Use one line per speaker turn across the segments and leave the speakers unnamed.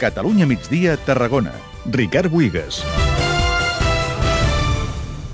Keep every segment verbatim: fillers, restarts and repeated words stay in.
Catalunya migdia, Tarragona. Ricard Buigas.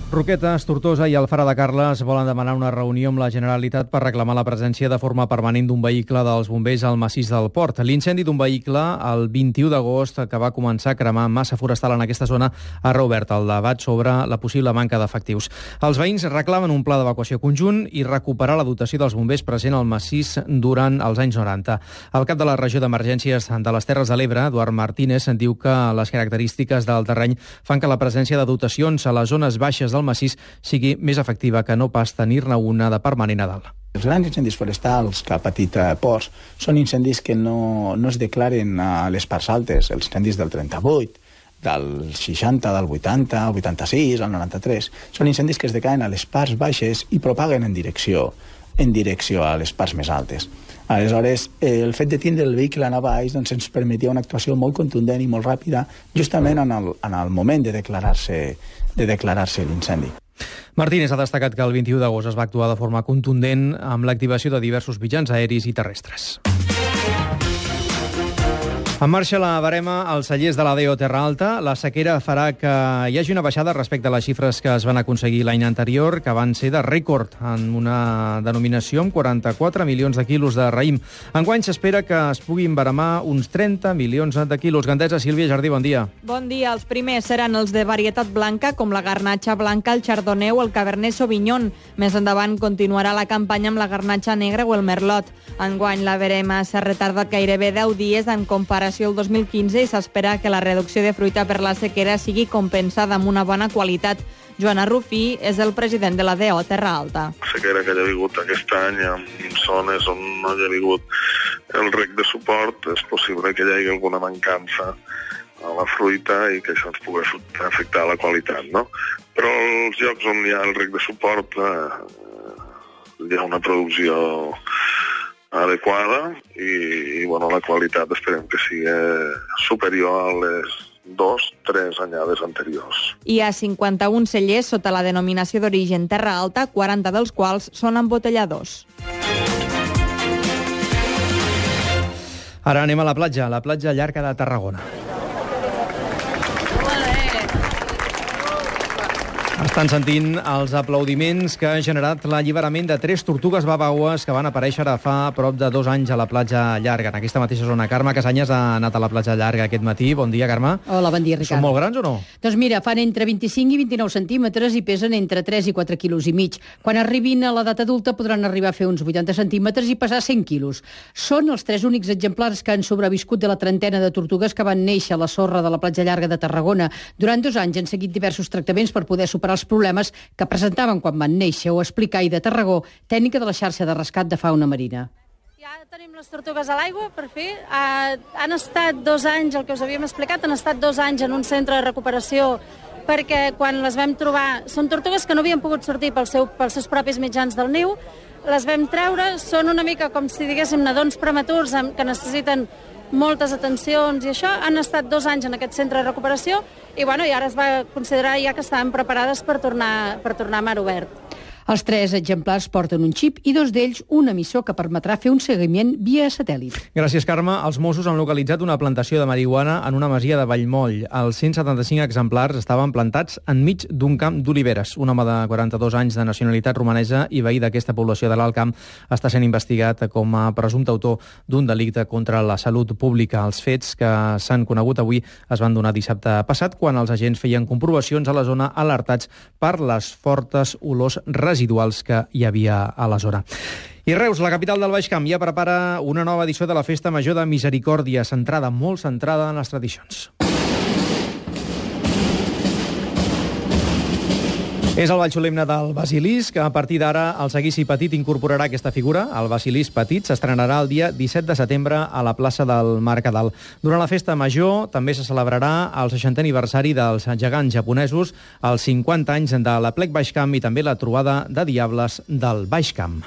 Roquetes, Tortosa i Alfara de Carles volen demanar una reunió amb la Generalitat per reclamar la presència de forma permanent d'un vehicle dels bombers al massís del Port. L'incendi d'un vehicle el vint-i-u d'agost, que va començar a cremar massa forestal en aquesta zona, ha reobert el debat sobre la possible manca d'efectius. Els veïns reclamen un pla d'evacuació conjunt i recuperar la dotació dels bombers present al massís durant els anys noranta. El cap de la regió d'emergències de les Terres de l'Ebre, Eduard Martínez, diu que les característiques del terreny fan que la presència de dotacions a les zones baixes del massís sigui més efectiva que no pas tenir-ne una de permanent a dalt.
Els grans incendis forestals que ha patit Ports són incendis que no, no es declaren a les parts altes. Els incendis del trenta-vuit, del seixanta, del vuitanta, el vuitanta-sis, el noranta-tres, són incendis que es declaren a les parts baixes i propaguen en direcció, en direcció a les parts més altes. Aleshores, el fet de tindre el vehicle a baix doncs, ens permetia una actuació molt contundent i molt ràpida justament en el, en el moment de declarar-se de declarar-se l'incendi.
Martínez ha destacat que el vint-i-u d'agost es va actuar de forma contundent amb l'activació de diversos mitjans aeris i terrestres. En marxa la barema als cellers de la D E O Terra Alta. La sequera farà que hi hagi una baixada respecte a les xifres que es van aconseguir l'any anterior, que van ser de rècord en una denominació amb quaranta-quatre milions de quilos de raïm. Enguany s'espera que es puguin baremar uns trenta milions de quilos. Gandesa, Sílvia Jardí, bon dia.
Bon dia. Els primers seran els de varietat blanca, com la garnatxa blanca, el chardonnay o el cabernet sauvignon. Més endavant continuarà la campanya amb la garnatxa negra o el merlot. Enguany la barema s'ha retardat gairebé deu dies en comparació el dos mil quinze i s'espera que la reducció de fruita per la sequera sigui compensada amb una bona qualitat. Joana Rufí és el president de la D E O Terra Alta.
La sequera que hi ha hagut aquest any en zones on no hi ha hagut el rec de suport, és possible que hi hagi alguna mancança a la fruita i que això ens pugui afectar la qualitat, no? Però als llocs on hi ha el rec de suport eh, hi ha una producció adequada i, i bueno, la qualitat esperem que sigui superior a les dos, tres anyades anteriors.
Hi ha cinquanta-un cellers sota la denominació d'origen Terra Alta, quaranta dels quals són embotelladors.
Ara anem a la platja, la platja llarga de Tarragona. Estan sentint els aplaudiments que ha generat l'alliberament de tres tortugues babaues que van aparèixer ara fa prop de dos anys a la platja llarga, en aquesta mateixa zona. Carme Casanyes ha anat a la platja llarga aquest matí. Bon dia, Carme.
Hola, bon dia, Ricard.
Són molt grans o no?
Doncs mira, fan entre vint-i-cinc i vint-i-nou centímetres i pesen entre tres i quatre quilos i mig. Quan arribin a l'edat adulta podran arribar a fer uns vuitanta centímetres i pesar cent quilos. Són els tres únics exemplars que han sobreviscut de la trentena de tortugues que van néixer a la sorra de la platja llarga de Tarragona. Durant dos anys han seguit diversos tractaments per poder superar els problemes que presentaven quan van néixer, o explica Aida Tarragó, tècnica de la xarxa de rescat de fauna marina.
Ja tenim les tortugues a l'aigua, per fi. Uh, han estat dos anys, el que us havíem explicat, han estat dos anys en un centre de recuperació perquè quan les vam trobar... Són tortugues que no havien pogut sortir pel seu, pels seus propis mitjans del niu, les vam treure, són una mica com si diguéssim nadons prematurs que necessiten moltes atencions i això. Han estat dos anys en aquest centre de recuperació i, bueno, i ara es va considerar ja que estaven preparades per tornar, per tornar a mar obert.
Els tres exemplars porten un xip i dos d'ells un emissor que permetrà fer un seguiment via satèl·lit.
Gràcies, Carme. Els Mossos han localitzat una plantació de marihuana en una masia de Vallmoll. Els cent setanta-cinc exemplars estaven plantats enmig d'un camp d'oliveres. Un home de quaranta-dos anys de nacionalitat romanesa i veí d'aquesta població de l'Alt Camp està sent investigat com a presumpte autor d'un delicte contra la salut pública. Els fets que s'han conegut avui es van donar dissabte passat quan els agents feien comprovacions a la zona alertats per les fortes olors residuals residuals que hi havia a la zona. I Reus, la capital del Baix Camp, ja prepara una nova edició de la Festa Major de Misericòrdia, centrada, molt centrada en les tradicions. És el ball solemne del Basilisc. A partir d'ara, el Seguici Petit incorporarà aquesta figura. El Basilisc Petit s'estrenarà el dia disset de setembre a la plaça del Mercadal. Durant la Festa Major també se celebrarà el seixantè aniversari dels gegants japonesos, els cinquanta anys de la Plec Baix Camp i també la trobada de diables del Baix Camp.